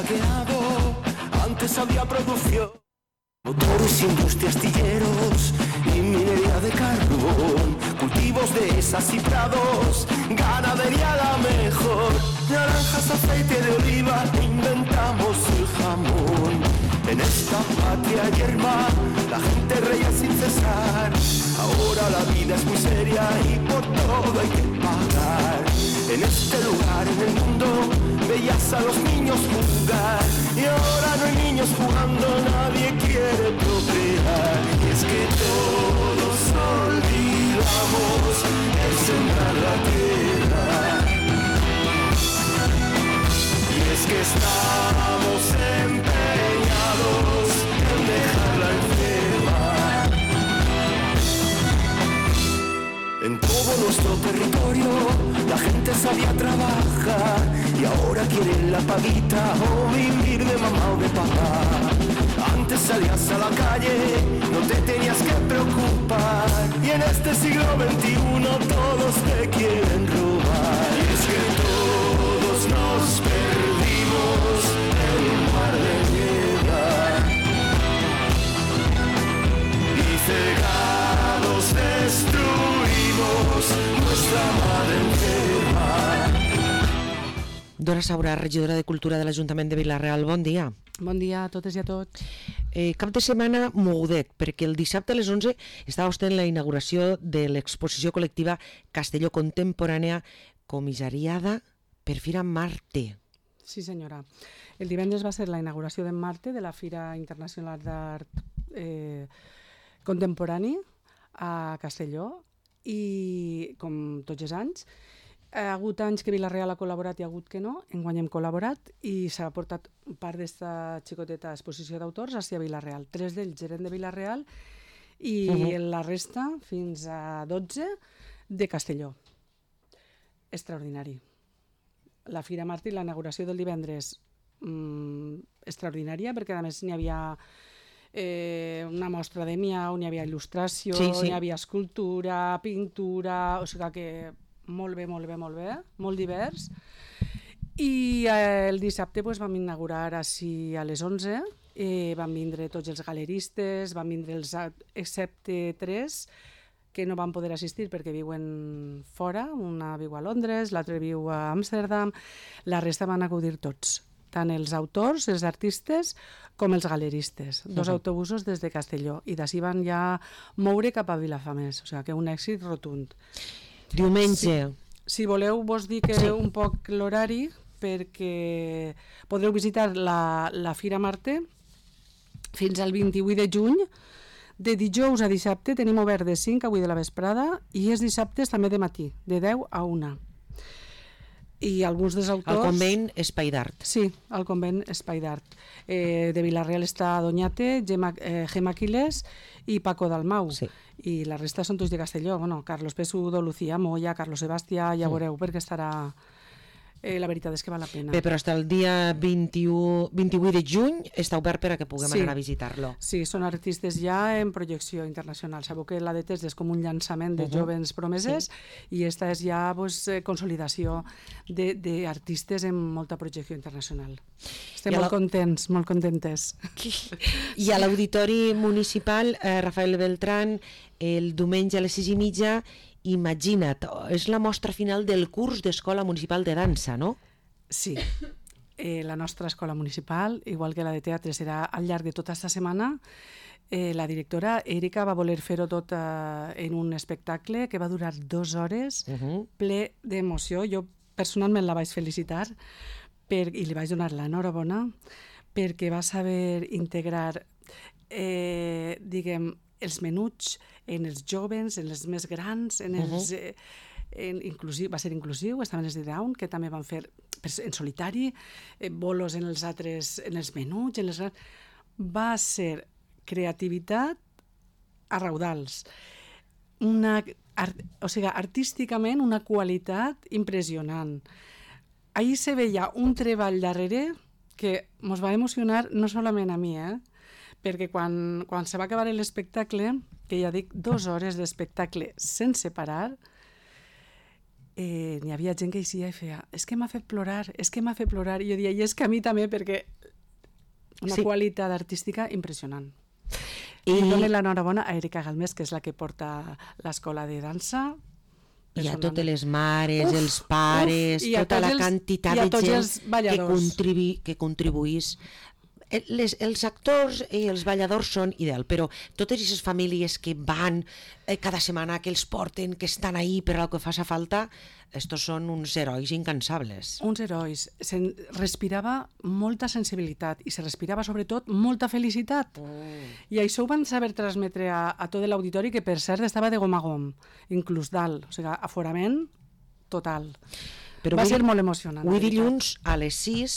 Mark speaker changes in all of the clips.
Speaker 1: saqueado, antes había producción. Motores, industria, astilleros y minería de carbón, cultivos de esas y prados, ganadería la mejor. Naranjas, aceite de oliva, inventamos el jamón. En esta patria yerma, la gente reía sin cesar. Ahora la vida es muy seria y por todo hay que pagar. En este lugar, en el mundo, veías a los niños jugar. Y ahora no hay niños jugando, nadie quiere procrear. Y es que todos olvidamos el sembrar la tierra. Y es que estamos empeñados en dejarla enferma. En todo nuestro territorio la gente sabía trabajar y ahora quieren la paguita o vivir de mamá o de papá. Antes salías a la calle, no te tenías que preocupar, y en este siglo XXI todos te quieren robar. Y es que todos nos perdimos en un mar de piedra y cegados destruimos nuestra madre enferma.
Speaker 2: Dora Saura, regidora de Cultura de l'Ajuntament de Vila-real, bon dia.
Speaker 3: Bon dia a totes i a tots.
Speaker 2: Cap de setmana mogudet, perquè el dissabte a les 11 estava vostè en la inauguració de l'exposició col·lectiva Castelló Contemporània, comissariada per Fira Marte.
Speaker 3: Sí, senyora. El divendres va ser la inauguració d'en Marte, de la Fira Internacional d'Art Contemporani a Castelló, i com tots els anys, ha hagut anys que Vila-real ha col·laborat i ha hagut que no, enguany hem col·laborat i s'ha portat part d'esta xicoteta exposició d'autors hacia Vila-real. 3 d'ells eren de Vila-real i la resta, fins a 12, de Castelló. Extraordinari. La Fira Marte i la inauguració del divendres extraordinària, perquè a més n'hi havia una mostra de miau, n'hi havia il·lustració, n'hi havia escultura, pintura, o sigui que molt bé, molt divers. I el dissabte vam inaugurar així a les 11, van vindre tots els galeristes, van vindre els, excepte 3 que no van poder assistir perquè viuen fora, una viu a Londres, l'altre viu a Amsterdam, la resta van acudir tots, tant els autors, els artistes, com els galeristes. 2 autobusos des de Castelló, i d'ací van ja moure cap a Vilafamés, o sigui que un èxit rotund.
Speaker 2: Diumenge.
Speaker 3: Si voleu, vos dic un poc l'horari, perquè podreu visitar la Fira Marte fins al 28 de juny. De dijous a dissabte tenim obert de 5 a 8 de la vesprada i els dissabtes també de matí, de 10 a 1. I alguns dels autors...
Speaker 2: Al convent Espai d'Art.
Speaker 3: Sí, al convent Espai d'Art. De Vila-real està Doñate, Gemma Quiles i Paco Dalmau. Sí. I la resta són tots de Castelló. Bueno, Carlos Pesudo, Lucía Moya, Carlos Sebastià, ja veureu perquè estarà... la veritat és que val la pena.
Speaker 2: Bé, però fins el dia 28 de juny està obert per a que puguem anar a visitar-lo.
Speaker 3: Sí, són artistes ja en projecció internacional. Sabeu que la de Test és com un llançament de joves promeses i esta és ja consolidació d'artistes en molta projecció internacional. Estem molt contents, molt contentes.
Speaker 2: I a l'Auditori Municipal Rafael Beltrán, el diumenge a les 6:30, Imagina't, és la mostra final del curs d'Escola Municipal de Dansa, no?
Speaker 3: Sí, la nostra escola municipal, igual que la de teatre, serà al llarg de tota aquesta setmana. La directora Erika va voler fer-ho tot en un espectacle que va durar 2 hores, ple d'emoció. Jo personalment la vaig felicitar i li vaig donar l'enhorabona perquè va saber integrar, diguem, els menuts en els joves, en els més grans, va ser inclusiu, estaven els de Down, que també van fer en solitari, bolos en els altres, en els menuts, va ser creativitat a raudals. O sigui, artísticament una qualitat impressionant. Ahir se veia un treball darrere que ens va emocionar no solament a mi, perquè quan se va acabar l'espectacle, que ja dic 2 hores d'espectacle sense parar, n'hi havia gent que hi i feia és que m'ha fet plorar, i jo deia, i és que a mi també, perquè Una qualitat artística impressionant.
Speaker 2: I
Speaker 3: dono l'enhorabona a Erika Galmés, que és la que porta l'escola de dansa.
Speaker 2: I a totes les mares, els pares, tota la quantitat de gent que contribuís. Els actors i els balladors són ideal, però totes aquestes famílies que van cada setmana, que els porten, que estan ahí per al que faci falta, estos són uns herois incansables.
Speaker 3: Uns herois. Se respirava molta sensibilitat i se respirava sobretot molta felicitat. I això ho van saber transmetre a tot l'auditori, que per cert estava de gom a gom, inclús dalt, o sigui, aforament total. Però va ser molt emocionant.
Speaker 2: Avui dilluns a les 6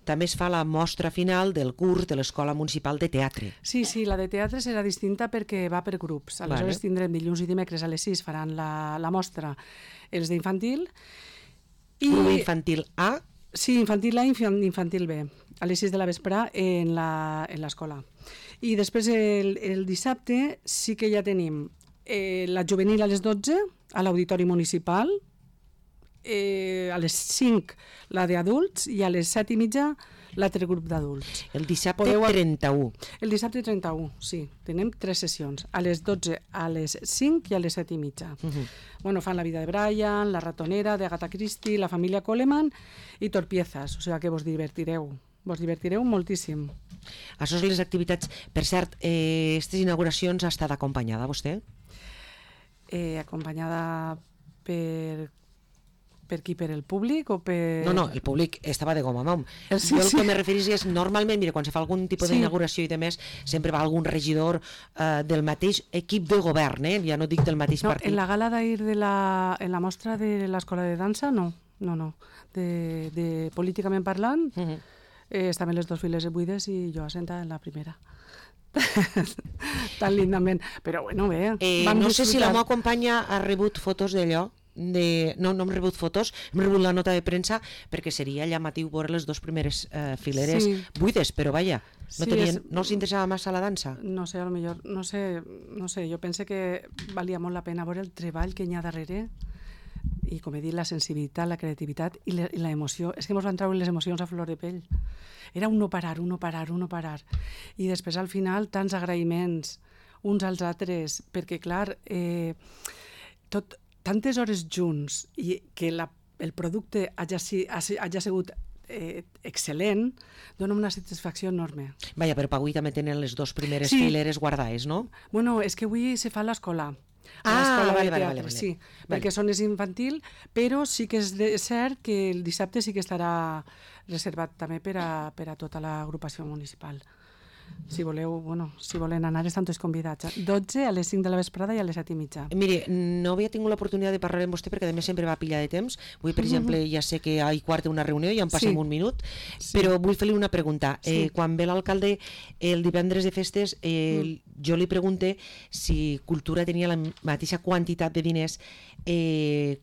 Speaker 2: també es fa la mostra final del curs de l'Escola Municipal de Teatre.
Speaker 3: Sí, la de teatre serà distinta perquè va per grups. Aleshores tindrem dilluns i dimecres a les 6 faran la mostra els d'infantil.
Speaker 2: Grup infantil A?
Speaker 3: Sí, infantil A i infantil B, a les 6 de la vespre en l'escola. I després el dissabte sí que ja tenim la juvenil a les 12 a l'Auditori Municipal, a les 5 la d'adults i a les 7:30 l'altre grup d'adults.
Speaker 2: El dissabte 31.
Speaker 3: El dissabte 31, sí. Tenim 3 sessions, a les 12, a les 5 i a les 7:30. Bueno, fan La vida de Brian, La ratonera, de Agatha Christie, La família Coleman i Torpiezas, o sigui que vos divertireu moltíssim.
Speaker 2: Això són les activitats. Per cert, aquestes inauguracions ha estat acompanyada, vostè?
Speaker 3: Acompanyada per qui? Per el públic o per...
Speaker 2: No, el públic estava de goma a mom. Jo el que me referís és, normalment, mira, quan se fa algun tipus d'inauguració i demés, sempre va algun regidor del mateix equip de govern, ja no dic del mateix partit.
Speaker 3: En la gala d'ahir en la mostra de l'Escola de Dansa, no. De políticament parlant, estaven les 2 files buides i jo assentada en la primera. Tan lindament. Però bueno, bé.
Speaker 2: No sé si la meva companya ha rebut fotos d'allò. No hem rebut fotos, hem rebut la nota de premsa, perquè seria llamatiu veure les 2 primeres fileres buides, però vaja, no s'interessava massa la dansa?
Speaker 3: No sé, potser, no sé, jo penso que valia molt la pena veure el treball que hi ha darrere i, com he dit, la sensibilitat, la creativitat i la emoció. És que ens van treure les emocions a flor de pell. Era un no parar. I després, al final, tants agraïments uns als altres, perquè, clar, tantes hores junts i que el producte hagi sigut excel·lent, dona una satisfacció enorme.
Speaker 2: Vaja, però avui també tenen les 2 primeres fileres guardades, no?
Speaker 3: Bueno, és que avui se fa a l'escola. Vale. Sí, perquè són infantil, però sí que és cert que el dissabte sí que estarà reservat també per a tota l'agrupació municipal. Si volen anar, estan tots convidats. 12 a les 5 de la vesprada i a les 7:30.
Speaker 2: Mire, no havia tingut l'oportunitat de parlar amb vostè perquè a més sempre va pillar de temps. Avui, per exemple, ja sé que a 1:15 una reunió i en passem un minut, però vull fer-li una pregunta. Quan ve l'alcalde el divendres de festes, jo li pregunte si Cultura tenia la mateixa quantitat de diners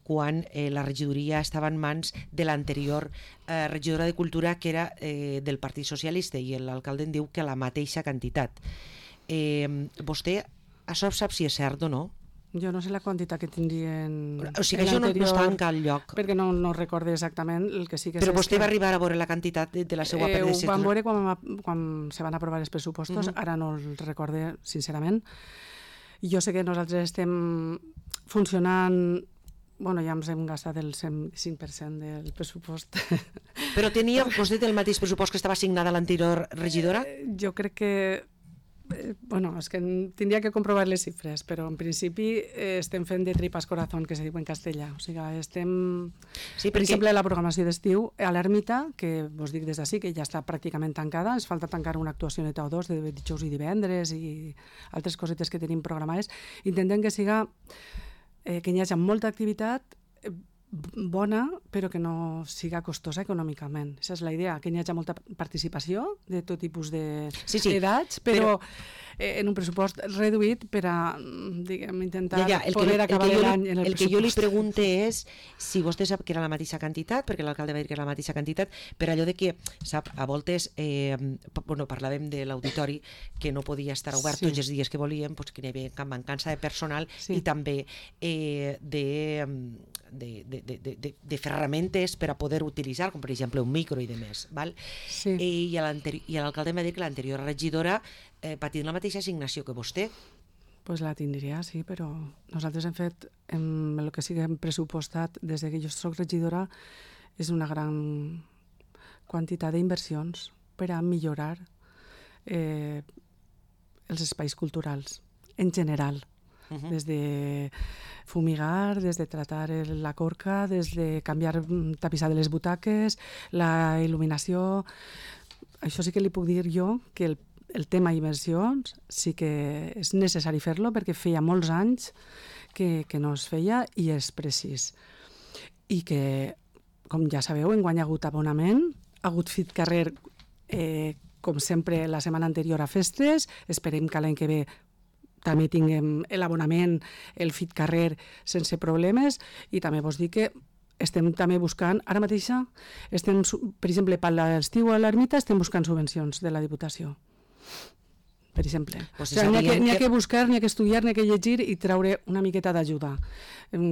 Speaker 2: quan la regidoria estava en mans de l'anterior regidora de Cultura, que era del Partit Socialista, i l'alcalde em diu que la mateixa quantitat. Vostè això sap si és cert o no?
Speaker 3: Jo no sé la quantitat que tindrien...
Speaker 2: O sigui, això no està en cap lloc.
Speaker 3: Perquè no recordo exactament el que sí que...
Speaker 2: Però vostè va arribar a veure la quantitat de la seva predecessora?
Speaker 3: Ho vam veure quan se van aprovar els pressupostos, ara no el recorde sincerament. Jo sé que nosaltres estem funcionant... Bueno, ja ens hem gastat el 105% del pressupost.
Speaker 2: Però tenia vostè el mateix pressupost que estava assignada a l'anterior regidora?
Speaker 3: Jo crec que... és que tindria que comprovar les xifres, però en principi estem fent de tripas corazón, que se diu en castellà. O sigui, estem... Per exemple, la programació d'estiu a l'Ermita, que vos dic des d'ací, que ja està pràcticament tancada, ens falta tancar una actuació neta o 2 de dijous i divendres i altres cosetes que tenim programades. Intentem que siga... que hi hagi molta activitat bona, però que no siga costosa econòmicament. Aquesta és la idea, que hi hagi molta participació de tot tipus d'edats, però en un pressupost reduït per a, diguem, intentar poder acabar l'any en el pressupost.
Speaker 2: El que jo li pregunte és si vostè sap que era la mateixa quantitat, perquè l'alcalde va dir que era la mateixa quantitat, per allò de que, sap, a voltes parlàvem de l'auditori que no podia estar obert tots els dies que volíem, que hi havia mancança de personal i també de ferramentes per a poder utilitzar, com per exemple un micro i demés. Val?
Speaker 3: Sí.
Speaker 2: I l'alcalde m'ha dit que l'anterior regidora va tenir la mateixa assignació que vostè.
Speaker 3: Pues la tindria, sí, però nosaltres hem fet el que sí que hem pressupostat des que jo soc regidora és una gran quantitat d'inversions per a millorar els espais culturals en general, des de fumigar, des de tratar la corca, des de canviar tapissar de les butaques, la il·luminació. Això sí que li puc dir jo que el tema inversions sí que és necessari fer-lo perquè feia molts anys que no es feia i és precís. I que, com ja sabeu, enguany ha hagut abonament, ha hagut fit carrer, com sempre, la setmana anterior a festes, esperem que l'any que ve també tinguem l'abonament, el fit carrer sense problemes, i també vos dic que estem també buscant, ara mateixa, per exemple, per l'estiu a l'ermita estem buscant subvencions de la Diputació. Per exemple.
Speaker 2: Pues
Speaker 3: n'hi ha que buscar, n'hi ha que estudiar, n'hi ha que llegir i treure una miqueta d'ajuda.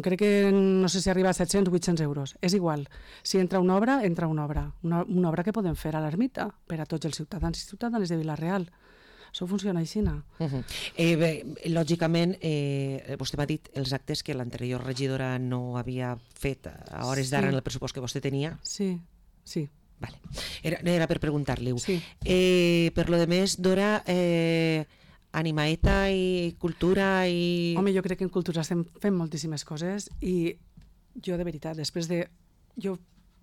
Speaker 3: Crec que no sé si arriba a 700 o 800 euros. És igual. Si entra una obra, entra una obra. Una obra que podem fer a l'ermita per a tots els ciutadans i ciutadanes de Vila-real. Això funciona així.
Speaker 2: Lògicament, vostè m'ha dit els actes que l'anterior regidora no havia fet a hores d'ara en el pressupost que vostè tenia.
Speaker 3: Sí, sí.
Speaker 2: Vale. Era per preguntar-li-ho.
Speaker 3: Sí.
Speaker 2: Per lo de més, Dora, animaeta i cultura i...
Speaker 3: Home, jo crec que en cultura estem fent moltíssimes coses i jo, de veritat, jo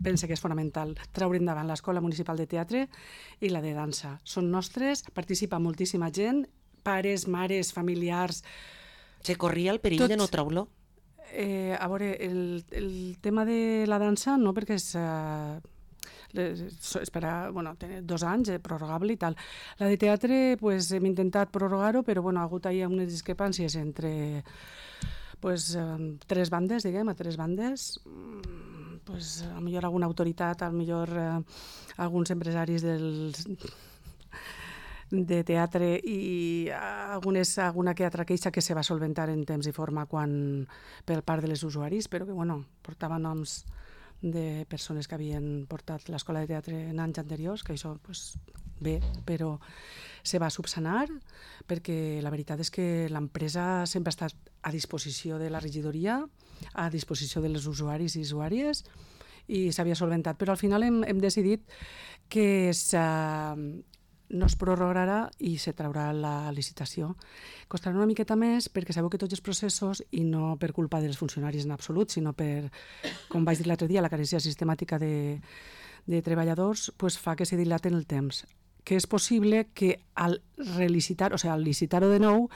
Speaker 3: penso que és fonamental treure endavant l'Escola Municipal de Teatre i la de dansa. Són nostres, participa moltíssima gent, pares, mares, familiars...
Speaker 2: Se corria el perill de no treure-lo?
Speaker 3: A veure, el tema de la dansa no, perquè és... tenir 2 anys, prorrogable i tal. La de teatre, hem intentat prorrogar-ho, però ha hagut unes discrepàncies entre 3 bandes, diguem, a 3 bandes. A millor alguna autoritat, a millor alguns empresaris de teatre i alguna que altra queixa que se va solventar en temps i forma per part de les usuaris, però que portava noms de persones que havien portat l'escola de teatre en anys anteriors, que això bé, però se va subsanar perquè la veritat és que l'empresa sempre ha estat a disposició de la regidoria, a disposició dels usuaris i usuàries, i s'havia solventat. Però al final hem decidit que no es prorrogarà i se traurà la licitació. Costarà una miqueta més perquè sabeu que tots els processos, i no per culpa dels funcionaris en absolut, sinó per, com vaig dir l'altre dia, la carència sistemàtica de treballadors, fa que se dilaten el temps. Que és possible que al relicitar, al licitar-ho de nou,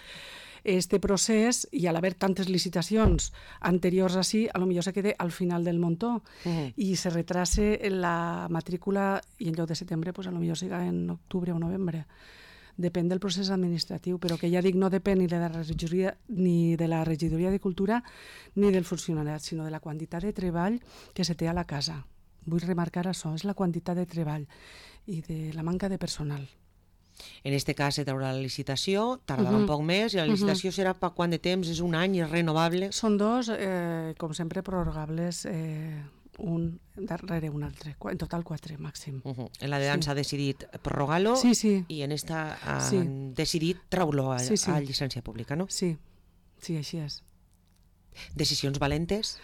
Speaker 3: este procés, i a l'haver tantes licitacions anteriors així, potser se quede al final del muntó i se retrase la matrícula i en lloc de setembre, potser siga en octubre o novembre. Depèn del procés administratiu, però que ja dic, no depèn ni de la regidoria de cultura ni del funcionariat, sinó de la quantitat de treball que se té a la casa. Vull remarcar això, és la quantitat de treball i de la manca de personal.
Speaker 2: En aquest cas se traurà la licitació, tardarà un poc més, i la licitació serà per quant de temps? És un any, és renovable?
Speaker 3: Són 2, com sempre, prorrogables, un darrere un altre. En total 4, màxim.
Speaker 2: En la de dansa ha decidit prorrogar-lo i en esta han decidit treure-lo a llicència pública, no?
Speaker 3: Sí, així és.
Speaker 2: Decisions valentes?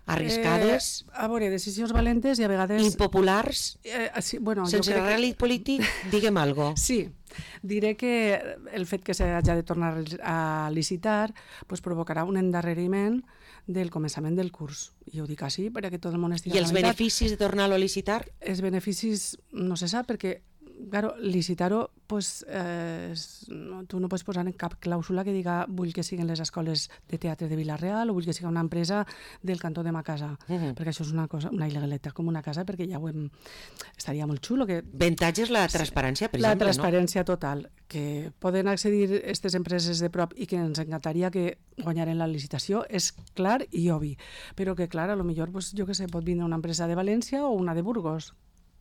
Speaker 2: Arriscades?
Speaker 3: A veure, decisions valentes i a vegades...
Speaker 2: Impopulars? Sense rèlit polític, digue'm algo.
Speaker 3: Sí, diré que el fet que s'hagi de tornar a licitar provocarà un endarreriment del començament del curs. I ho dic així perquè tot el món estigui...
Speaker 2: I els beneficis de tornar-lo a licitar?
Speaker 3: Els beneficis no se sap perquè, claro, licitar-ho, tu no pots posar en cap clàusula que diga vull que siguin les escoles de teatre de Vila-real o vull que sigui una empresa del cantó de ma casa, perquè això és una il·legalitat com una casa, perquè ja estaria molt xulo.
Speaker 2: Avantatge és la transparència, per exemple, no?
Speaker 3: La transparència total, que poden accedir aquestes empreses de prop i que ens encantaria que guanyaren la licitació, és clar i obvi, però que clar, a lo millor, jo què sé, pot vindre una empresa de València o una de Burgos,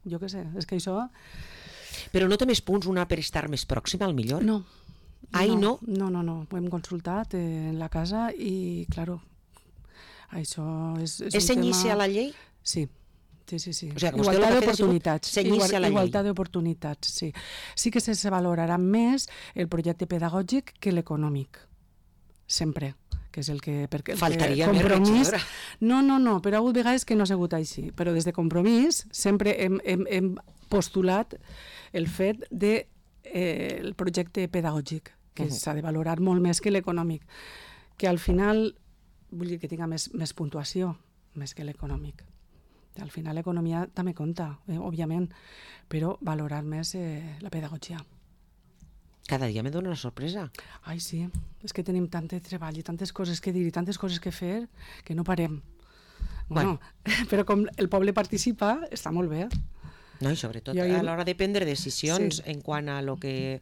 Speaker 3: jo què sé, és que això...
Speaker 2: Però no té més punts una per estar més pròxima, al millor?
Speaker 3: No.
Speaker 2: No?
Speaker 3: No, ho hem consultat en la casa i, claro, Això és un
Speaker 2: cenyir-se a la llei?
Speaker 3: Sí. Sí.
Speaker 2: O sigui, igualtat
Speaker 3: d'oportunitats.
Speaker 2: Cenyir-se a la llei.
Speaker 3: Igualtat d'oportunitats, sí. Sí que se valorarà més el projecte pedagògic que l'econòmic. Sempre. Que és el que...
Speaker 2: Faltaria més regidora.
Speaker 3: No, però ha hagut vegades que no ha sigut així. Però des de Compromís sempre hem postulat el fet del projecte pedagògic, que s'ha de valorar molt més que l'econòmic. Que al final, vull dir que tinga més puntuació, més que l'econòmic. Al final l'economia també compta, òbviament, però valorar més la pedagogia.
Speaker 2: Cada dia me dona una sorpresa.
Speaker 3: Ai, sí, és que tenim tant de treball i tantes coses que dir i tantes coses que fer que no parem. Bueno, però com el poble participa, està molt bé.
Speaker 2: No, i sobretot a l'hora de prendre decisions en quant a lo que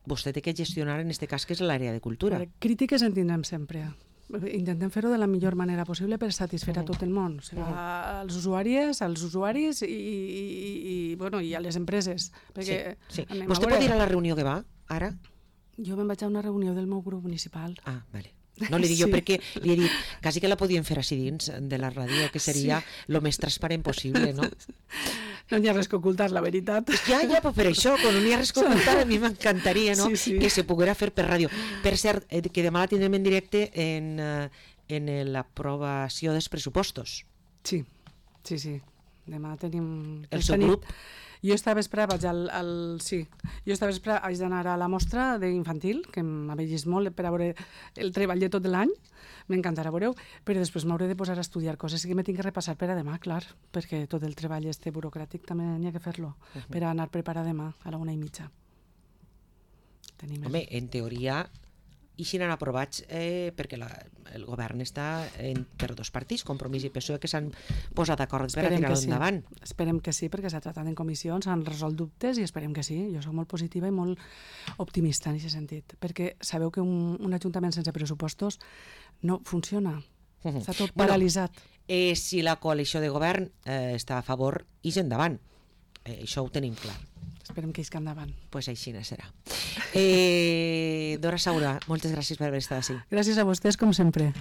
Speaker 2: vostè té que gestionar en aquest cas, que és l'àrea de cultura.
Speaker 3: Crítiques en tindrem sempre. Intentem fer-ho de la millor manera possible per satisfer a tot el món, o sigui, als usuaris i a les empreses. Perquè
Speaker 2: sí. Vostè pot ir a la reunió que va, ara?
Speaker 3: Jo me'n vaig a una reunió del meu grup municipal.
Speaker 2: Ah, vale. No, li dic jo perquè li he dit, quasi que la podien fer així dins de la ràdio, que seria el més transparent possible, no?
Speaker 3: No hi ha res que ocultar, la veritat.
Speaker 2: Ja, però per això, quan no hi ha res que ocultar, a mi m'encantaria, no? Que se poguera fer per ràdio. Per cert, que demà la tindrem en directe en l'aprovació dels pressupostos.
Speaker 3: Sí. Demà tenim...
Speaker 2: El seu grup?
Speaker 3: Jo esta vespre vaig haig d'anar a la mostra d'infantil, que m'ha llegit molt per a veure el treball de tot l'any, m'encantarà veure-ho, però després m'hauré de posar a estudiar coses que m'he tinc que repassar per a demà, clar, perquè tot el treball burocràtic també n'hi ha que fer-lo, per a anar preparar demà a la 1:30.
Speaker 2: Home, en teoria, i si n'han aprovats perquè el govern està per dos partits, Compromís i PSOE, que s'han posat d'acord per a tirar-ho endavant.
Speaker 3: Esperem que sí, perquè s'ha tratat en comissions, s'han resolt dubtes i esperem que sí. Jo soc molt positiva i molt optimista en aquest sentit, perquè sabeu que un ajuntament sense pressupostos no funciona. Està tot paralitzat.
Speaker 2: Si la coalició de govern està a favor, ix endavant. Això ho tenim clar.
Speaker 3: Esperem que isca endavant.
Speaker 2: Pues així serà. Dora Saura, moltes gràcies per haver estat així.
Speaker 3: Gràcies a vostès, com sempre.